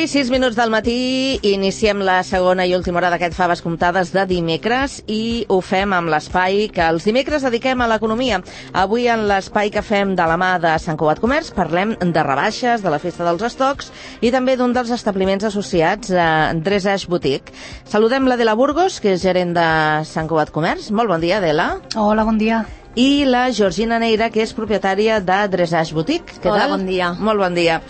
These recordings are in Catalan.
I 6 minuts del matí, iniciem la segona i última hora d'aquest Faves Comptades de dimecres i ho fem amb l'espai que els dimecres dediquem a l'economia. Avui en l'espai que fem de la mà de Sant Cugat Comerç parlem de rebaixes, de la festa dels estocs i també d'un dels establiments associats a Dressage Boutique. Saludem l'Adela Burgos, que és gerent de Sant Cugat Comerç. Molt bon dia, Adela. Hola, bon dia. I la Georgina Neira, que és propietària de Dressage Boutique. Hola, bon dia. Molt bon dia.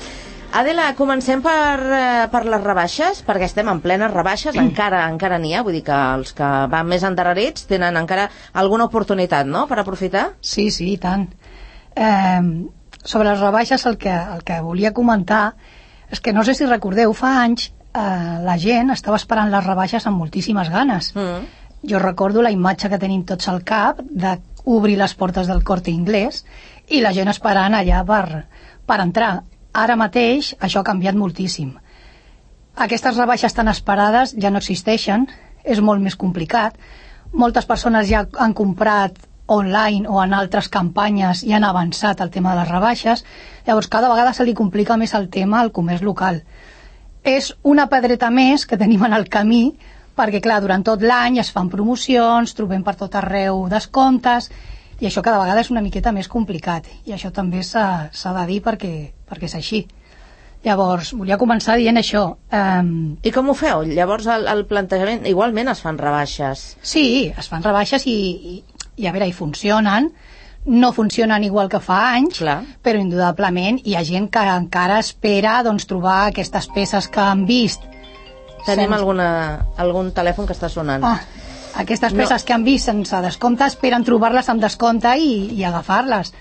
Adela, comencem per les rebaixes, perquè estem en plenes rebaixes, encara n'hi ha, vull dir que els que van més endarrerits tenen encara alguna oportunitat, no?, per aprofitar? Sí, i tant. Sobre les rebaixes el que volia comentar és que no sé si recordeu, fa anys la gent estava esperant les rebaixes amb moltíssimes ganes. Jo recordo la imatge que tenim tots al cap d'obrir les portes del Corte Inglés i la gent esperant allà per entrar. Ara mateix això ha canviat moltíssim. Aquestes rebaixes tan esperades ja no existeixen, és molt més complicat. Moltes persones ja han comprat online o en altres campanyes i han avançat el tema de les rebaixes, llavors cada vegada se li complica més el tema al comerç local. És una pedreta més que tenim en el camí, perquè clar, durant tot l'any es fan promocions, trobem per tot arreu descomptes, i això cada vegada és una miqueta més complicat, i això també s'ha de dir perquè és així. Llavors, volia començar dient això. I com ho feu? Llavors el plantejament, igualment es fan rebaixes? Sí, es fan rebaixes i a veure, hi funcionen, no funcionen igual que fa anys, clar, però indudablement hi ha gent que encara espera trobar aquestes peces que han vist. Tenim algun telèfon que està sonant. Aquestes peces que han vist sense descompte esperen trobar-les amb descompte i agafar-les,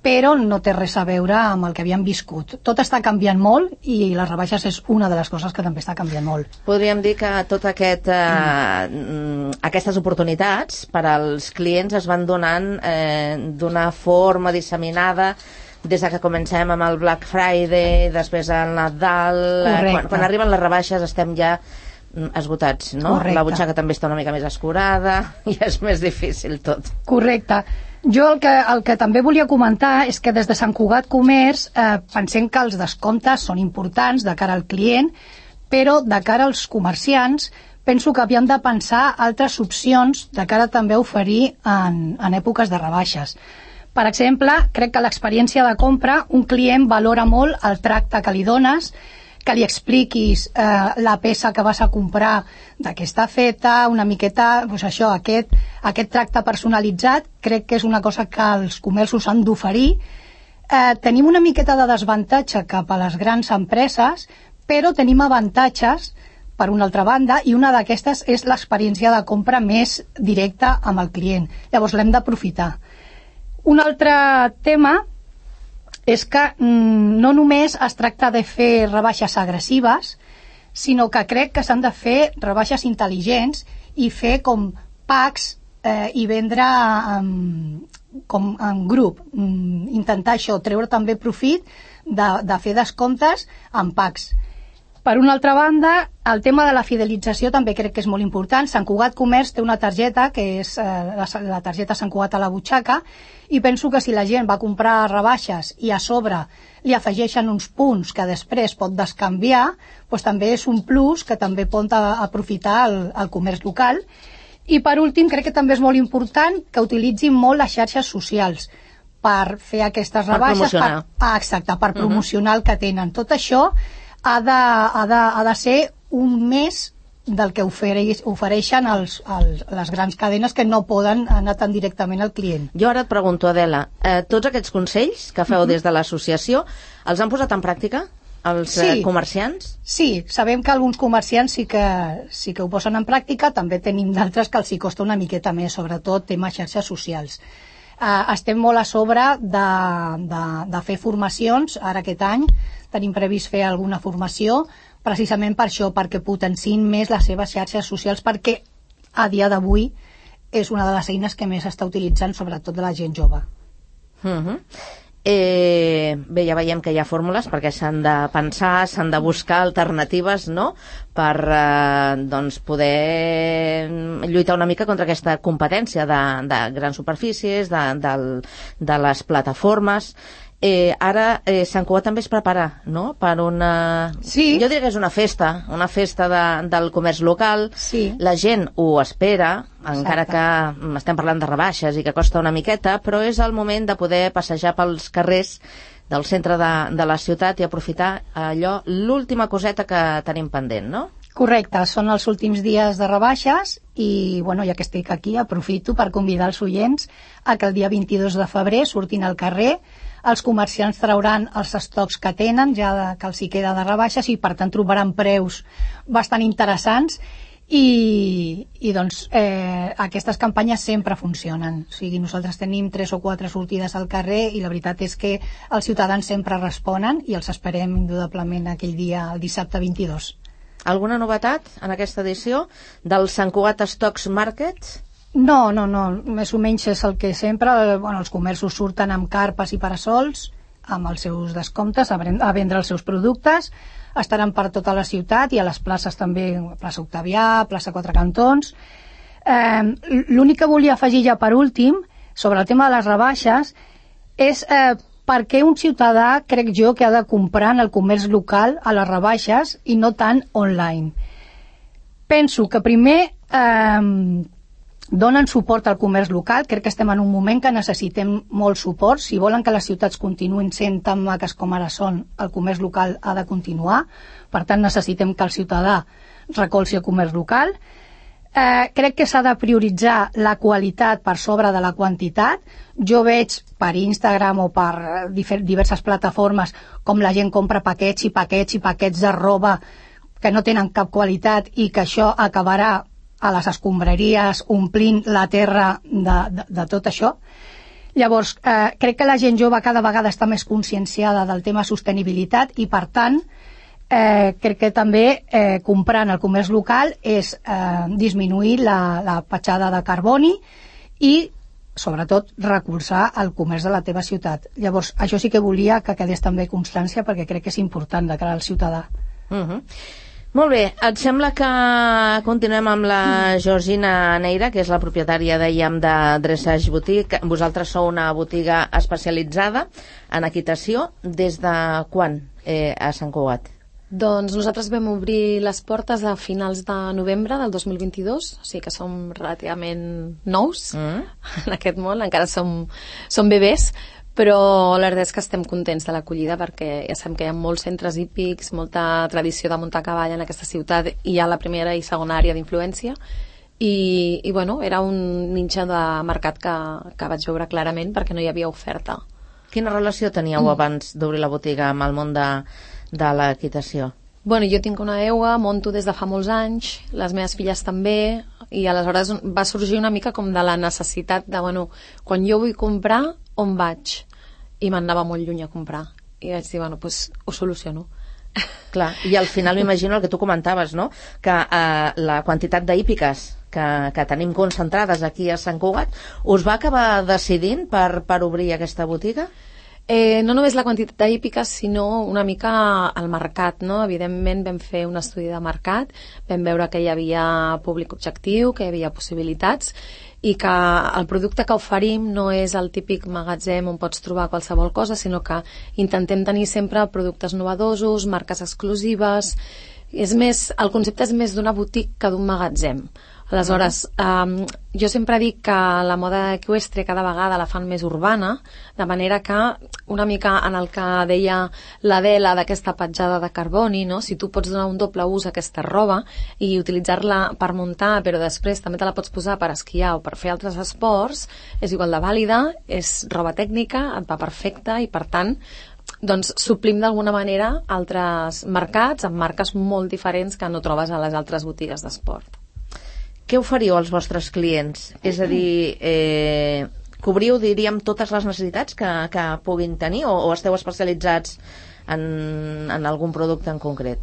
però no té res a veure amb el que havien viscut. Tot està canviant molt i les rebaixes és una de les coses que també està canviant molt. Podríem dir que tot aquestes oportunitats per als clients es van donant d'una forma disseminada des que comencem amb el Black Friday, després el Nadal. Quan arriben les rebaixes estem ja esgotats, no? Correcte. La butxaca també està una mica més escurada i és més difícil tot. Correcte. Jo el que també volia comentar és que des de Sant Cugat Comerç pensem que els descomptes són importants de cara al client, però de cara als comerciants penso que havíem de pensar altres opcions de cara també a oferir en èpoques de rebaixes. Per exemple, crec que l'experiència de compra, un client valora molt el tracte que li dones, que li expliquis la peça que vas a comprar, de què està feta, una miqueta, doncs això, aquest tracte personalitzat, crec que és una cosa que els comerços han d'oferir. Tenim una miqueta de desavantatge cap a les grans empreses, però tenim avantatges per una altra banda, i una d'aquestes és l'experiència de compra més directa amb el client. Llavors l'hem d'aprofitar. Un altre tema és que no només es tracta de fer rebaixes agressives, sinó que crec que s'han de fer rebaixes intel·ligents i fer com packs i vendre com en grup. Intentar això, treure també profit de fer descomptes en packs. Per una altra banda, el tema de la fidelització també crec que és molt important. Sant Cugat Comerç té una targeta, que és la targeta Sant Cugat a la butxaca, i penso que si la gent va comprar rebaixes i a sobre li afegeixen uns punts que després pot descanviar, doncs també és un plus que també pot aprofitar el comerç local. I per últim, crec que també és molt important que utilitzin molt les xarxes socials per fer aquestes rebaixes, per promocionar el que tenen. Tot això ha de ser un més del que ofereixen les grans cadenes que no poden anar tan directament al client. Jo ara et pregunto, Adela, tots aquests consells que feu des de l'associació els han posat en pràctica els comerciants? Sí, sabem que alguns comerciants sí que ho posen en pràctica, també tenim d'altres que els hi costa una miqueta més, sobretot tema xarxes socials. Estem molt a sobre de fer formacions. Ara aquest any tenim previst fer alguna formació precisament per això, perquè potenciïn més les seves xarxes socials, perquè a dia d'avui és una de les eines que més s'està utilitzant, sobretot de la gent jove. Bé, ja veiem que hi ha fórmules perquè s'han de pensar, s'han de buscar alternatives, no?, per poder lluitar una mica contra aquesta competència de grans superfícies, de les plataformes. Ara Sant Cugat també es prepara, no?, per una... Sí. Jo diria que és una festa del comerç local. Sí. La gent ho espera, encara que estem parlant de rebaixes i que costa una miqueta, però és el moment de poder passejar pels carrers del centre de la ciutat i aprofitar allò, l'última coseta que tenim pendent, no? Correcte, són els últims dies de rebaixes i, bueno, ja que estic aquí, aprofito per convidar els oients a que el dia 22 de febrer surtin al carrer. Els comerciants trauran els estocs que tenen, ja que els hi queda de rebaixes, i per tant trobaran preus bastant interessants i doncs aquestes campanyes sempre funcionen. O sigui, nosaltres tenim 3 o 4 sortides al carrer i la veritat és que els ciutadans sempre responen i els esperem indudablement aquell dia, el dissabte 22. Alguna novetat en aquesta edició del Sant Cugat Stocks Market? No, més o menys és el que sempre, els comerços surten amb carpes i parasols, amb els seus descomptes, a vendre els seus productes, estaran per tota la ciutat i a les places també, plaça Octavià, plaça Quatre Cantons. L'únic que volia afegir ja per últim, sobre el tema de les rebaixes, és per què un ciutadà, crec jo, que ha de comprar en el comerç local a les rebaixes i no tant online. Penso que primer donen suport al comerç local. Crec que estem en un moment que necessitem molt suport. Si volen que les ciutats continuïn sent tan maques com ara són, el comerç local ha de continuar. Per tant, necessitem que el ciutadà recolzi el comerç local. Crec que s'ha de prioritzar la qualitat per sobre de la quantitat. Jo veig per Instagram o per diverses plataformes com la gent compra paquets i paquets i paquets de roba que no tenen cap qualitat i que això acabarà a les escombraries omplint la terra de tot això. Llavors, crec que la gent jove cada vegada està més conscienciada del tema sostenibilitat i, per tant, crec que també comprar en el comerç local és disminuir la petjada de carboni i, sobretot, recolzar el comerç de la teva ciutat. Llavors, això sí que volia que quedés també constància perquè crec que és important de cara al ciutadà. Molt bé, et sembla que continuem amb la Georgina Neira, que és la propietària, dèiem, de Dressage Boutique. Vosaltres sou una botiga especialitzada en equitació. Des de quan a Sant Cugat? Doncs nosaltres vam obrir les portes a finals de novembre del 2022, o sigui que som relativament nous en aquest món, encara som bebès, però la veritat és que estem contents de l'acollida perquè ja sabem que hi ha molts centres hípics, molta tradició de muntar a cavall en aquesta ciutat i hi ha la primera i segona àrea d'influència i bueno, era un nicho de mercat que vaig veure clarament perquè no hi havia oferta. Quina relació teníeu abans d'obrir la botiga amb el món de l'equitació? Bueno, jo tinc una EUA, monto des de fa molts anys, les meves filles també, i aleshores va sorgir una mica com de la necessitat de, bueno, quan jo vull comprar, on vaig? I m'anava molt lluny a comprar. I vaig dir, bueno, doncs ho soluciono. Clar, i al final m'imagino el que tu comentaves, no?, que la quantitat d'hípiques que tenim concentrades aquí a Sant Cugat, us va acabar decidint per obrir aquesta botiga? No només la quantitat d'hípiques, sinó una mica el mercat, no? Evidentment vam fer un estudi de mercat, vam veure que hi havia públic objectiu, que hi havia possibilitats i que el producte que oferim no és el típic magatzem on pots trobar qualsevol cosa, sinó que intentem tenir sempre productes novedosos, marques exclusives. El concepte és més d'una boutique que d'un magatzem. Aleshores, jo sempre dic que la moda eqüestre cada vegada la fan més urbana, de manera que una mica en el que deia l'Adela d'aquesta petjada de carboni, no? Si tu pots donar un doble ús a aquesta roba i utilitzar-la per muntar, però després també te la pots posar per esquiar o per fer altres esports, és igual de vàlida, és roba tècnica, et va perfecta i per tant doncs suplim d'alguna manera altres mercats amb marques molt diferents que no trobes a les altres botigues d'esport. Què oferiu als vostres clients? És a dir, cobriu, diríem, totes les necessitats que puguin tenir o esteu especialitzats en algun producte en concret?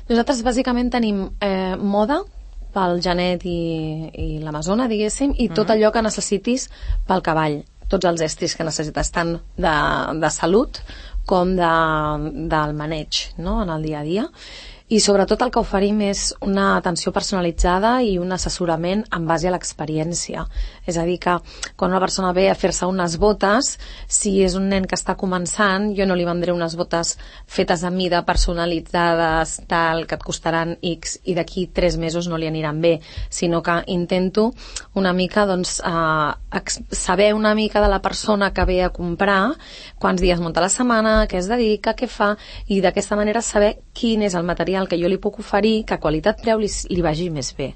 Nosaltres bàsicament tenim moda pel genet i l'amazona, diguéssim, i tot allò que necessitis pel cavall. tots els estris que necessites, tant de salut com del maneig, no?, en el dia a dia. I sobretot el que oferim és una atenció personalitzada i un assessorament en base a l'experiència. És a dir, que quan una persona ve a fer-se unes botes, si és un nen que està començant, jo no li vendré unes botes fetes a mida, personalitzades, tal, que et costaran X i d'aquí 3 mesos no li aniran bé, sinó que intento una mica, doncs, saber una mica de la persona que ve a comprar, quants dies munta la setmana, què es dedica, què fa, i d'aquesta manera saber quin és el material que jo li puc oferir, que a qualitat-preu li vagi més bé.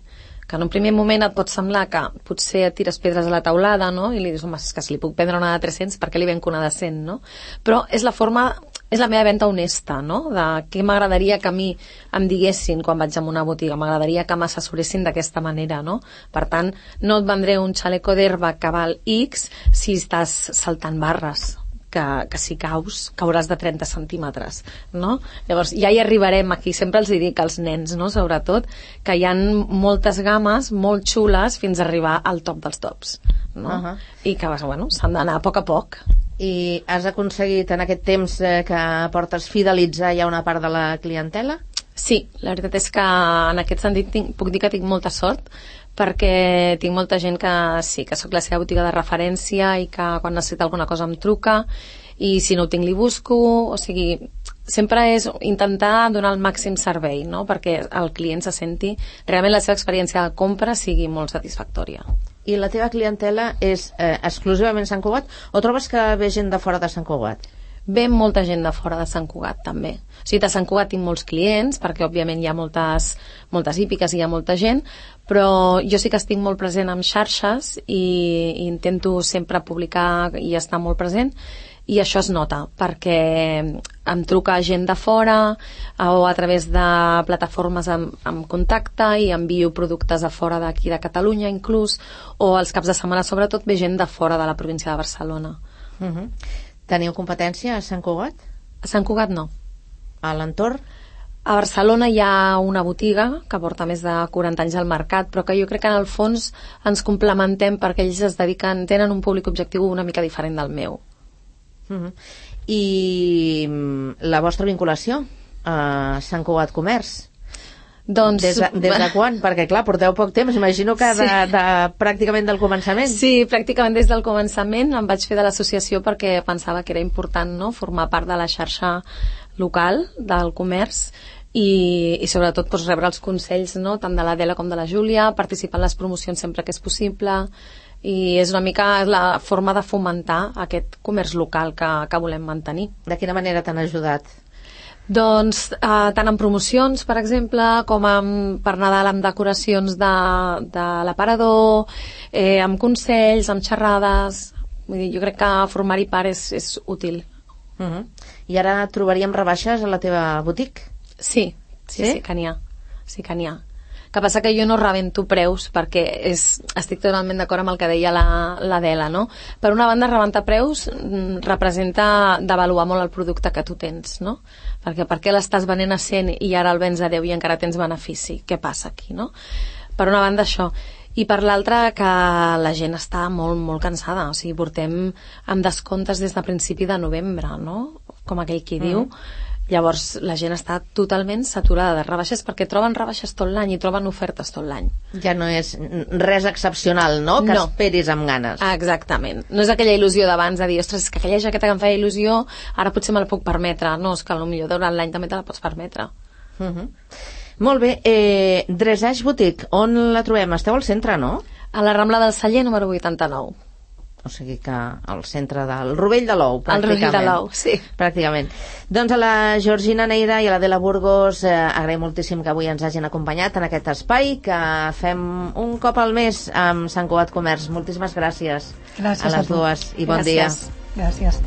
Que en un primer moment et pot semblar que potser et tires pedres a la taulada, no?, i li dius, home, és que si li puc vendre una de 300, per què li venc una de 100, no? Però és la meva venda honesta, no?, de què m'agradaria que a mi em diguessin quan vaig a una botiga, m'agradaria que m'assessoressin d'aquesta manera, no? Per tant, no et vendré un xaleco d'herba que val X si estàs saltant barres, que si cauràs de 30 centímetres, no? Llavors, ja hi arribarem aquí, sempre els dic als nens, no?, sobretot, que hi ha moltes games molt xules fins a arribar al top dels tops, no? I que, bueno, s'han d'anar a poc. I has aconseguit en aquest temps que portes fidelitzar ja una part de la clientela? Sí, la veritat és que en aquest sentit puc dir que tinc molta sort, perquè tinc molta gent que sí, que sóc la seva botiga de referència i que quan necessita alguna cosa em truca, i si no ho tinc li busco, o sigui, sempre és intentar donar el màxim servei, no?, perquè el client se senti realment la seva experiència de compra sigui molt satisfactòria. I la teva clientela és exclusivament Sant Cugat, o trobes que ve gent de fora de Sant Cugat? Ve molta gent de fora de Sant Cugat, també. O sigui, de Sant Cugat tinc molts clients, perquè òbviament hi ha moltes hípiques i hi ha molta gent, però jo sí que estic molt present en xarxes i intento sempre publicar i estar molt present, i això es nota, perquè em truca gent de fora o a través de plataformes em contacta i envio productes a fora d'aquí de Catalunya inclús, o els caps de setmana sobretot ve gent de fora de la província de Barcelona. Teniu competència a Sant Cugat? A Sant Cugat no. A l'entorn? A Barcelona hi ha una botiga que porta més de 40 anys al mercat, però que jo crec que en el fons ens complementem perquè ells tenen un públic objectiu una mica diferent del meu. I la vostra vinculació a Sant Cugat Comerç? Doncs, des de quan? Perquè clar, porteu poc temps, imagino que sí. Pràcticament del començament. Sí, pràcticament des del començament em vaig fer de l'associació perquè pensava que era important, no?, formar part de la xarxa local del comerç i sobretot doncs, rebre els consells, no?, tant de l'Adela com de la Júlia, participar en les promocions sempre que és possible, i és una mica la forma de fomentar aquest comerç local que volem mantenir. De quina manera t'han ajudat? Doncs tant en promocions, per exemple, com per Nadal amb decoracions de l'aparador, amb consells, amb xerrades. Vull dir, jo crec que formar-hi part és útil. I ara trobaríem rebaixes a la teva botiga? Sí que n'hi ha. Sí que n'hi ha. Que passa que jo no rebento preus perquè estic totalment d'acord amb el que deia l'Adela, no? Per una banda, rebentar preus representa devaluar molt el producte que tu tens, no? Perquè per què l'estàs venent a 100 i ara el vens a 10 i encara tens benefici? Què passa aquí, no? Per una banda, això. I per l'altra, que la gent està molt, molt cansada. O sigui, portem amb descomptes des de principi de novembre, no? Com aquell qui diu. Llavors la gent està totalment saturada de rebaixes perquè troben rebaixes tot l'any i troben ofertes tot l'any. Ja no és res excepcional, no? Que esperis amb ganes. Exactament. No és aquella il·lusió d'abans de dir, ostres, és que aquella jaqueta que em feia il·lusió ara potser me la puc permetre. No, és que potser durant l'any també te la pots permetre. Molt bé. Dressage Boutique, on la trobem? Esteu al centre, no? A la Rambla del Celler, número 89. O sigui que al centre del Rovell de l'Ou, pràcticament. El Rovell de l'Ou, sí. Pràcticament. Doncs a la Georgina Neira i a l'Adela Burgos agraïm moltíssim que avui ens hagin acompanyat en aquest espai que fem un cop al mes amb Sant Cugat Comerç. Moltíssimes gràcies. Gràcies a les dues i bon dia. Gràcies.